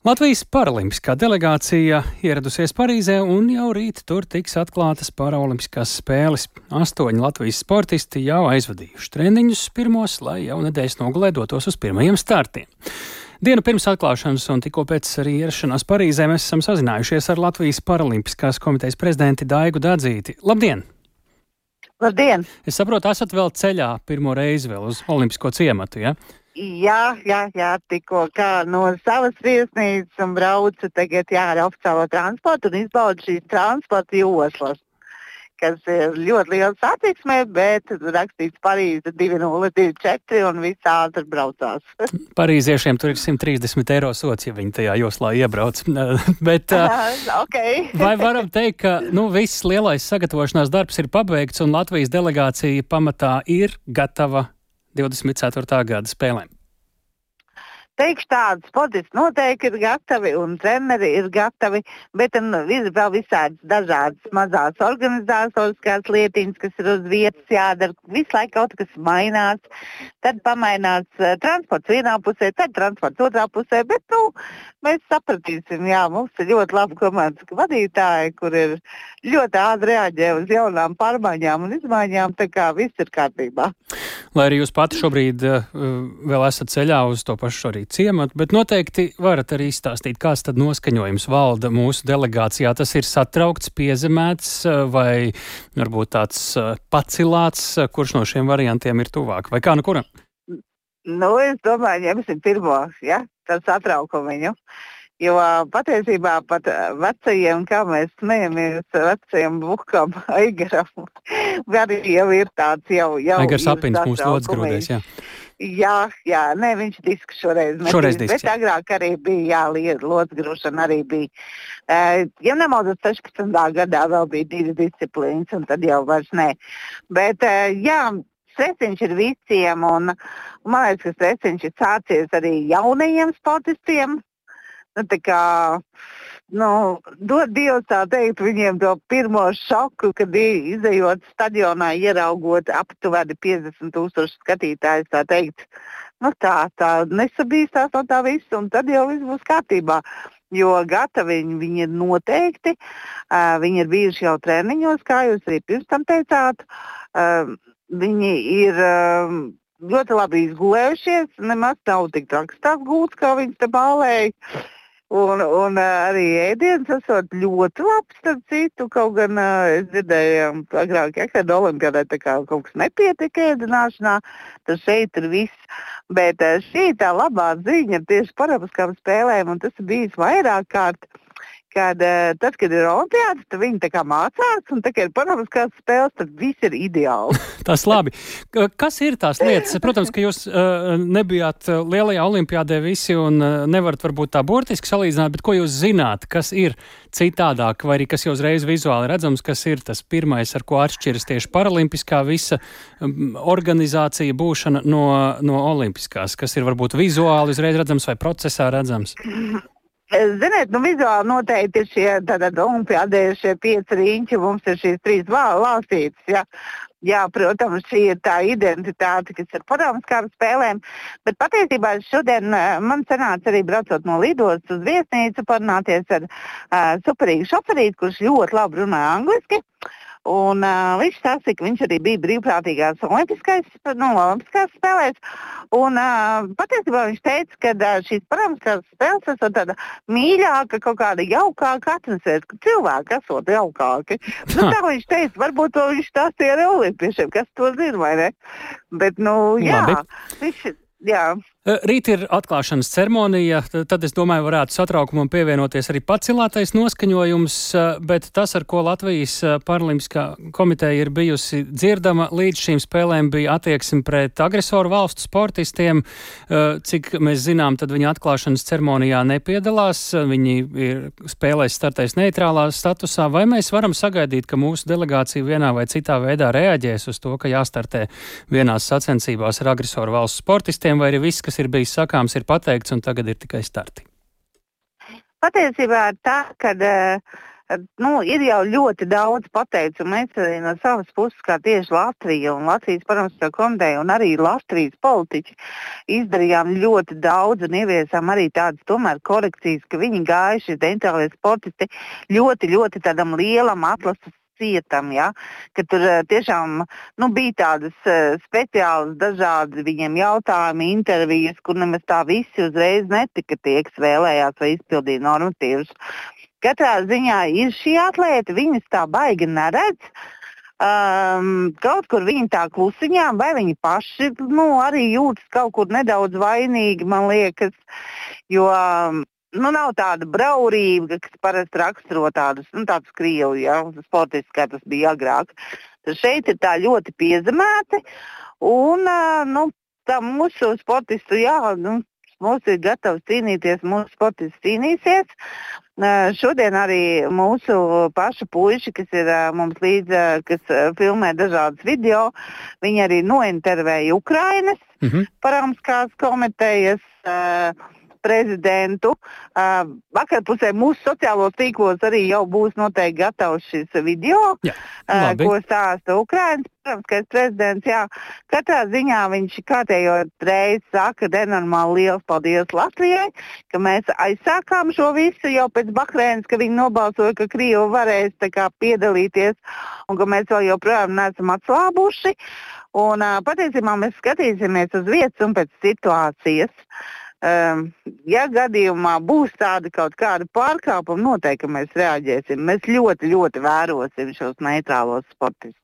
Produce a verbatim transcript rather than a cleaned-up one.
Latvijas paralimpiskā delegācija ieradusies Parīzē un jau rīt tur tiks atklātas paralimpiskās spēles. Astoņi Latvijas sportisti jau aizvadījuši treniņus pirmos, lai jau nedēļas nogalē dotos uz pirmajiem startiem. Dienu pirms atklāšanas un tikko pēc arī ierašanās Parīzē mēs esam sazinājušies ar Latvijas paralimpiskās komitejas prezidenti Daigu Dadzīti. Labdien! Labdien! Es saprotu, esat vēl ceļā pirmo reizi vēl uz olimpisko ciematu, ja? Jā, jā, jā, tikko kā no savas viesnīcas un braucu tagad jā, ar oficiālo transportu un izbaudu šīs transporta joslas, kas ir ļoti liela satiksmē, bet rakstīts Parīze divi nulle divi četri un viss ātri braucās. Parīziešiem tur ir simt trīsdesmit eiro sots, ja viņi tajā joslā iebrauc. Bet, okay. Vai varam teikt, ka nu, viss lielais sagatavošanās darbs ir pabeigts un Latvijas delegācija pamatā ir gatava divdesmit ceturtā gada spēlēm? Teikšu tādu, sportisti noteikti ir gatavi un treneri ir gatavi, bet ir vēl visādas dažādas mazās organizatoriskās lietiņas, kas ir uz vietas jādara. Visu laiku kaut kas mainās, tad pamainās uh, transports vienā pusē, tad transports otrā pusē, bet nu, mēs sapratīsim, jā, mums ir ļoti labi komandas vadītāji, kur ir ļoti ātri reaģē uz jaunām pārmaiņām un izmaiņām, tā kā viss ir kārtībā. Lai arī jūs pati šobrīd uh, vēl esat ceļā uz to pašu arī ciematu, bet noteikti varat arī izstāstīt, kāds tad noskaņojums valda mūsu delegācijā. Tas ir satraukts, piezemēts vai varbūt tāds pacilāts, kurš no šiem variantiem ir tuvāk? Vai kā nu kuram? Nu, es domāju, ņemsim pirmo, ja, tad satraukumiņu. Jo patiesībā pat vecajiem, kā mēs smejamies, vecajiem Bukam, Aigaram, arī jau ir tāds jau... jau Aigars Apins mūsu lodsgrūdēs, jā. Jā, jā, ne, viņš disks šoreiz metīs, šoreiz disks, bet agrāk arī bija, jā, lodsgrūšana arī bija. Uh, ja nemaldos, sešpadsmitā gadā vēl bija divi disciplīnas, un tad jau vairs ne. Bet, uh, jā, stresiņš ir visiem, un, un man liekas, ka stresiņš ir sācies arī jaunajiem sportistiem. Nu, tā kā, nu, dod Dievs tā teikt viņiem to pirmo šoku, kad izejot stadionā, ieraugot aptuveni piecdesmit tūkstoši skatītājus, tā teikt, nu tā, tā nesabīstās no tā visu, un tad jau viss būs kārtībā. Jo gatavi viņi, viņi ir noteikti, uh, viņi ir bijuši jau treniņos, kā jūs arī pirms tam teicāt, uh, viņi ir... Uh, ļoti labi izgulējušies, nemaz nav tik traks tās gults, kā viņas te bālēja. Un, un arī ēdiens esot ļoti labs, tad citu, kaut gan es dzirdēju agrāk, ja, kad olimpiādē tā kā kaut kas nepietika ēdināšanā, tad šeit ir viss. Bet šī tā labā ziņa tieši paralimpiskām spēlēm, un tas ir bijis vairāk kārt, kad tad, kad ir olimpiādas, tad viņi tā kā mācās, un tā kā ir paralimpiskās spēles, tad viss ir ideāli. Tas labi. Kas ir tās lietas? Protams, ka jūs uh, nebijāt lielajā olimpiādē visi un uh, nevarat varbūt tā burtiski salīdzināt, bet ko jūs zināt, kas ir citādāk, vai arī kas jau uzreiz vizuāli redzams, kas ir tas pirmais, ar ko atšķiras tieši paralimpiskā visa um, organizācija būšana no, no olimpiskās, kas ir varbūt vizuāli uzreiz redzams vai procesā redzams? Ziniet, nu vizuāli noteikti ir šie tātad olimpiādē šie pieci riņķi, mums ir šīs trīs valstītes, ja. Jā, protams, šī ir tā identitāte, kas ir paralimpiskām spēlēm, bet patiesībā šodien man sanāca arī braucot no lidostas uz viesnīcu parunāties ar uh, superīgu šoferīti, kurš ļoti labi runā angliski. Un uh, viņš stāstīja, ka viņš arī bija brīvprātīgās olimpiskās, no olimpiskās spēlēs. Un uh, patiesībā viņš teica, ka uh, šīs paralimpiskās spēles esot tāda mīļāka, kaut kāda jaukāka atmosfēra, ka cilvēki esot jaukāki. Nu, tā viņš teica, varbūt to viņš stāstīja ar olimpiešiem, kas to zina, vai ne? Bet, nu, jā, viņš, jā. Rīt ir atklāšanas ceremonija, tad es domāju, varētu satraukumam pievienoties arī pacilātais noskaņojums, bet tas, ar ko Latvijas paralimpiskā komiteja ir bijusi dzirdama, līdz šīm spēlēm bija attieksme pret agresoru valstu sportistiem. Cik mēs zinām, tad viņi atklāšanas ceremonijā nepiedalās, viņi ir spēlēs startais neitrālā statusā, vai mēs varam sagaidīt, ka mūsu delegācija vienā vai citā veidā reaģēs uz to, ka jāstartē vienās sacensībās ar agresoru valstu sportistiem, vai arī viss, kas ir bijis sakāms, ir pateikts un tagad ir tikai starti? Patiesībā ir tā, ka uh, Nu, ir jau ļoti daudz pateicu, un mēs arī no savas puses, kā tieši Latvija un Latvijas Parlamentāra komiteja un arī Latvijas politiķi izdarījām ļoti daudz un ieviesām arī tādas tomēr korekcijas, ka viņi gāja šie dentālie sportisti ļoti, ļoti tādam lielam atlases cietam, ja, ka tur tiešām nu, bija tādas uh, speciālas dažādi viņiem jautājumi, intervijas, kur nemaz tā visi uzreiz netika tie, kas vēlējās vai izpildīja normatīvus. Katrā ziņā ir šī atlēta, viņas tā baigi neredz. Um, kaut kur viņi tā klusiņām, vai viņi paši nu, arī jūtas kaut kur nedaudz vainīgi, man liekas, jo um, nu, nav tāda braurība, kas parasti raksturo tādus, nu, tādus krievu, ja, sportistus, kā tas bija agrāk. Tad šeit ir tā ļoti piezemēti, un uh, nu, tā mūsu sportistu, jā, nu, mūsu ir gatavs cīnīties, mūsu sportists cīnīsies. Uh, šodien arī mūsu pašu puiši, kas ir uh, mums līdz, uh, kas uh, filmē dažādas video, viņi arī nointervēja Ukrainas mm-hmm. Parāmskās komitejas uh, prezidentu. Uh, vakarpusē mūsu sociālos tīklos arī jau būs noteikti gatavs šis video, jā, uh, ko stāsta Ukrainas parāmskais prezidents. Jā. Katrā ziņā viņš kārtējo reizi saka nenormāli liels paldies Latvijai, ka mēs aizsākām šo visu jau pēc Bahreinas, ka viņi nobalsoja, ka Krievi varēs tā kā piedalīties un ka mēs vēl joprojām neesam atslābuši. Un uh, patiesībā mēs skatīsimies uz vietas un pēc situācijas. Um, ja gadījumā būs tāda kaut kāda pārkāpuma, noteikti mēs reaģēsim. Mēs ļoti, ļoti vērosim šos neitrālos sportistus.